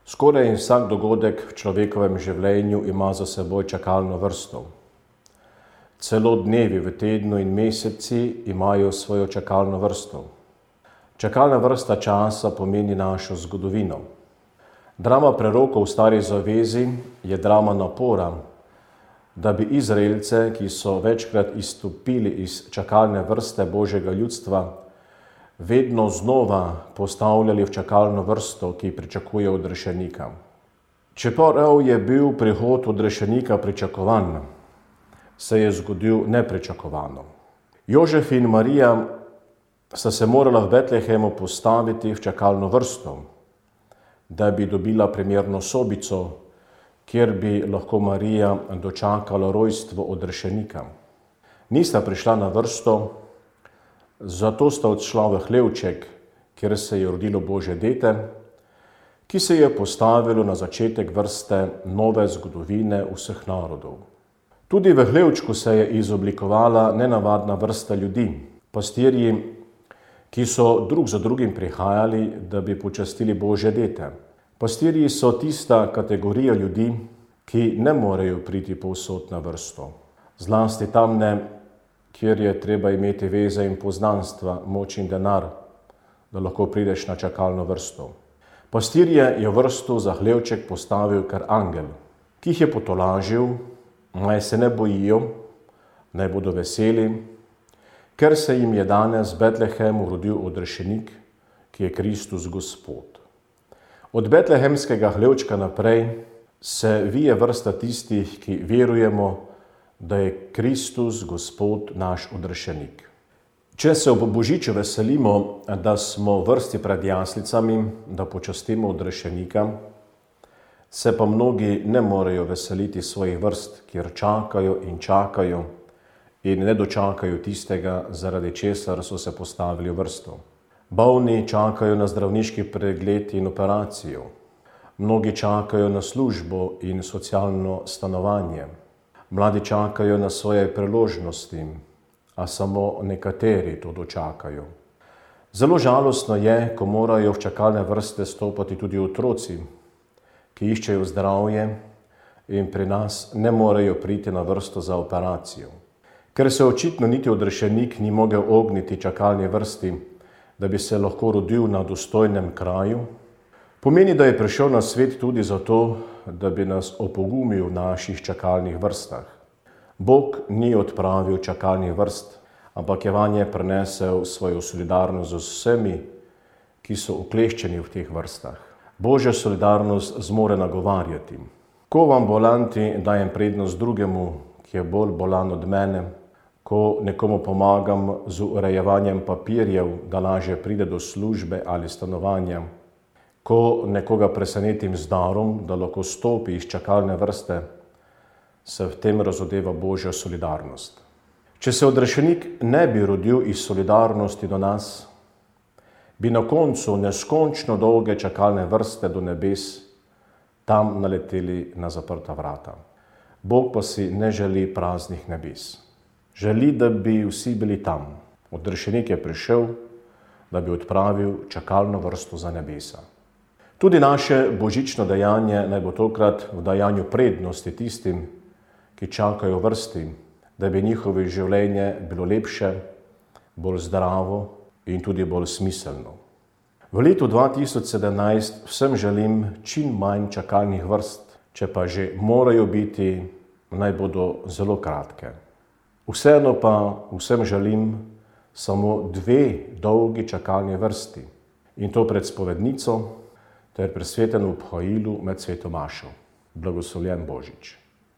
Skoraj vsak dogodek v človekovem življenju ima za seboj čakalno vrsto. Celo dnevi v tednu in meseci imajo svojo čakalno vrsto. Čakalna vrsta časa pomeni našo zgodovino. Drama prerokov v Stari zavezi je drama napora, da bi Izraelce, ki so večkrat izstopili iz čakalne vrste Božjega ljudstva, vedno znova postavljali v čakalno vrsto, ki pričakuje odrešenika. Čeprav je bil prihod odrešenika pričakovan, se je zgodil nepričakovano. Jožef in Marija sta se morala v Betlehemu postaviti v čakalno vrsto, da bi dobila primerno sobico, kjer bi lahko Marija dočakala rojstvo odrešenika. Nista prišla na vrsto, zato sta odšla v hlevček, kjer se je rodilo Božje dete, ki se je postavilo na začetek vrste nove zgodovine vseh narodov. Tudi v hlevčku se je izoblikovala nenavadna vrsta ljudi, pastirji, ki so drug za drugim prihajali, da bi počastili Božje dete. Pastirji so tista kategorija ljudi, ki ne morejo priti povsod na vrsto. Zlasti tam ne, kjer je treba imeti veze in poznanstva, moč in denar, da lahko prideš na čakalno vrsto. Pastirje je vrsto za hlevček postavil kar angel, ki jih je potolažil, naj se ne bojijo, naj bodo veseli, ker se jim je danes v Betlehemu rodil odrešenik, ki je Kristus Gospod. Od betlehemskega hlevčka naprej se vije vrsta tistih, ki verujemo, da je Kristus Gospod naš odrešenik. Če se ob Božiču veselimo, da smo v vrsti pred jaslicami, da počastimo odrešenika, se pa mnogi ne morejo veseliti svojih vrst, kjer čakajo in ne dočakajo tistega, zaradi česar so se postavili v vrsto. Bolni čakajo na zdravniški pregled in operacijo. Mnogi čakajo na službo in socialno stanovanje. Mladi čakajo na svoje priložnosti, a samo nekateri to dočakajo. Zelo žalostno je, ko morajo v čakalne vrste stopati tudi otroci, ki iščejo zdravje in pri nas ne morejo priti na vrsto za operacijo. Ker se očitno niti odrešenik ni mogel ogniti čakalni vrsti, da bi se lahko rodil na dostojnem kraju, pomeni, da je prišel na svet tudi zato, da bi nas opogumil v naših čakalnih vrstah. Bog ni odpravil čakalnih vrst, ampak je vanje prinesel svojo solidarnost z vsemi, ki so ukleščeni v teh vrstah. Božja solidarnost zmore nagovarjati. Ko v ambulanti dajem prednost drugemu, ki je bolj bolan od mene, ko nekomu pomagam z urejevanjem papirjev, da lažje pride do službe ali stanovanja, ko nekoga presenetim z darom, da lahko stopi iz čakalne vrste, se v tem razodeva Božja solidarnost. Če se odrešenik ne bi rodil iz solidarnosti do nas, bi na koncu neskončno dolge čakalne vrste do nebes tam naleteli na zaprta vrata. Bog pa si ne želi praznih nebes. Želi, da bi vsi bili tam. Odrešenik je prišel, da bi odpravil čakalno vrsto za nebesa. Tudi naše božično dejanje naj bo tokrat v dajanju prednosti tistim, ki čakajo v vrsti, da bi njihovo življenje bilo lepše, bolj zdravo in tudi bolj smiselno. V letu 2017 vsem želim čim manj čakalnih vrst, če pa že morajo biti, naj bodo zelo kratke. Vseeno pa vsem želim samo 2 dolgi čakalni vrsti, in to pred spovednico ter pri svetem obhajilu med sveto mašo. Blagoslovljen Božič.